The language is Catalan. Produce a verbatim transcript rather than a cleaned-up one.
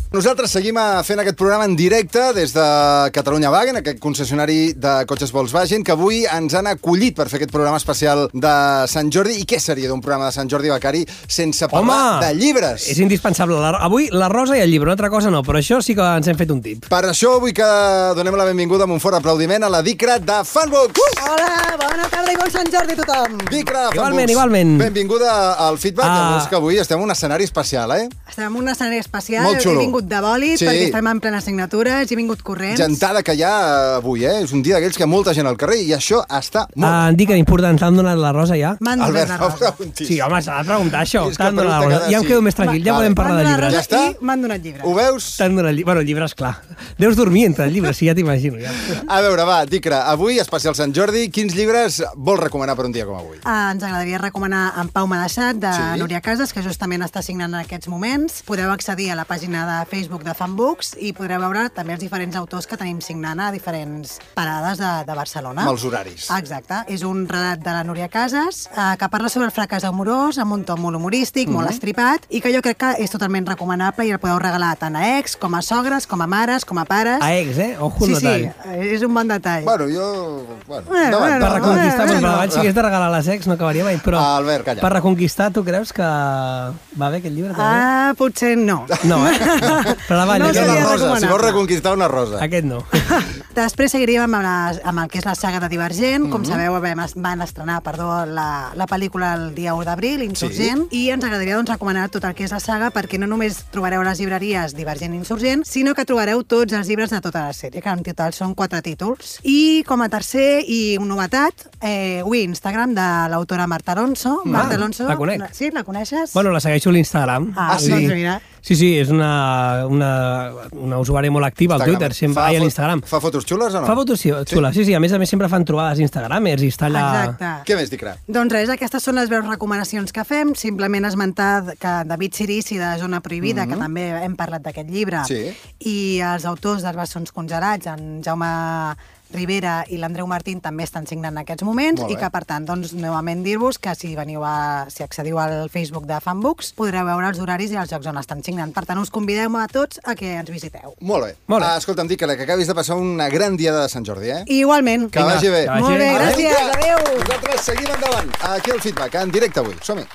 Nosaltres seguim fent aquest programa en directe des de Catalunya Wagen, aquest concessionari de cotxes Volkswagen, que avui ens han acollit per fer aquest programa especial de Sant Jordi. I què seria d'un programa de Sant Jordi, Becari, sense parlar Home, de llibres? És indispensable. La, avui la rosa i el llibre, una altra cosa no, però això sí que ens hem fet un tip. Per això vull que donem la benvinguda amb un fort aplaudiment a la Dicra de Fanbooks. Uh! Hola, bona tarda i bon Sant Jordi a tothom. Dicra de Fanbooks. Igualment, igualment. Benvinguda al feedback. Ah. Ja veus que avui estem en un escenari especial, eh? Estem en un escenari especial. Molt xulo. He vingut de bòlit, Sí. perquè estem en plenes signatures, he vingut corrents. Gentada que hi ha avui, eh? És un dia d'aquells que hi ha molta gent al carrer i això està molt... Ah, em dic que important, t'han donat la rosa ja? M'han donat Albert, la no rosa. preguntis. Sí, home, s'ha de preguntar això. És que T'han donat la pregunta rosa. cada- Ja em sí. quedo més tranquil, ja Vale. podem parlar de M'han donat llibres. Ja està? I m'han donat llibres. Ho veus? T'han donat llibres. Bueno, llibres, clar. Deus dormir entre els llibres, sí, ja t'imagino. Ja. A veure, va, Dicra, avui, especial Sant Jordi, quins llibres vols recomanar per un dia com avui? Ah, ens agradaria recomanar En Pau m'ha deixat, de Sí. Núria Casas, que justament està signant en aquests moments. Podeu accedir a la pàgina de Facebook de Fanbooks i podreu veure també els diferents autors que tenim signant a diferents parades de, de Barcelona. Amb els horaris. Exacte. És un relat de la Núria Casas eh, que parla sobre el fracàs amorós amb un to molt humorístic, Mhm. molt estripat, i que jo crec que és totalment recomanable i el podeu regalar tant a ex, com a sogres, com a mares, com a pares. A ex, eh? Ojo el Sí, sí, detall. és un bon detall. Bueno, jo... Bueno, Bueno, endavant. bueno, Per reconquistar, bueno, però bueno. abans si hagués de regalar les ex no acabaria mai, però Ah, Albert, calla. per reconquistar tu creus que va bé aquest llibre també? Ah, potser no. No, eh? No. Però la No balla, Era seria una rosa, recomanable. si vols reconquistar una rosa. aquest no. Després seguiríem amb, la, amb el que és la saga de Divergent. Mhm. Com sabeu, vam, van estrenar perdó, la, la pel·lícula el dia u d'abril, Insurgent, sí. I ens agradaria doncs, recomanar tot el que és la saga, perquè no només trobareu a les llibreries Divergent i Insurgent, sinó que trobareu tots els llibres de tota la sèrie, que en total són quatre títols. I com a tercer i una novetat, eh, avui Instagram de l'autora Marta Alonso. Ah, Marta Alonso. la conec. Sí, la coneixes? Bueno, la segueixo a l'Instagram. Ah, sí? doncs mira. Sí, sí, és una, una, una usuària molt activa al Twitter, sempre, Fa ai, a fo- l'Instagram. Fa fotos xules o no? Fa fotos sí, xules, sí, sí, a més a més sempre fan trobades Instagramers i està allà... Exacte. Què més, Dicra? Doncs res, aquestes són les breus recomanacions que fem. Simplement esmentar que David Cirici, de Zona Prohibida, mm -hmm. que també hem parlat d'aquest llibre, Sí. i els autors dels Bessons Congelats, en Jaume Rivera i l'Andreu Martín, també estan signant en aquests moments, Molt i bé. que, per tant, doncs, novament dir-vos que si veniu a, si accediu al Facebook de Fanbooks, podreu veure els horaris i els llocs on estan signant. Per tant, us convidem a tots a que ens visiteu. Molt bé. Molt bé. Ah, escolta'm, Dicra, que acabis de passar una gran diada de Sant Jordi, eh? I igualment. Que vagi bé. que vagi Molt bé, bé. gràcies. Adéu. Adéu. Nosaltres seguim endavant. Aquí el feedback, en directe avui. Som-hi.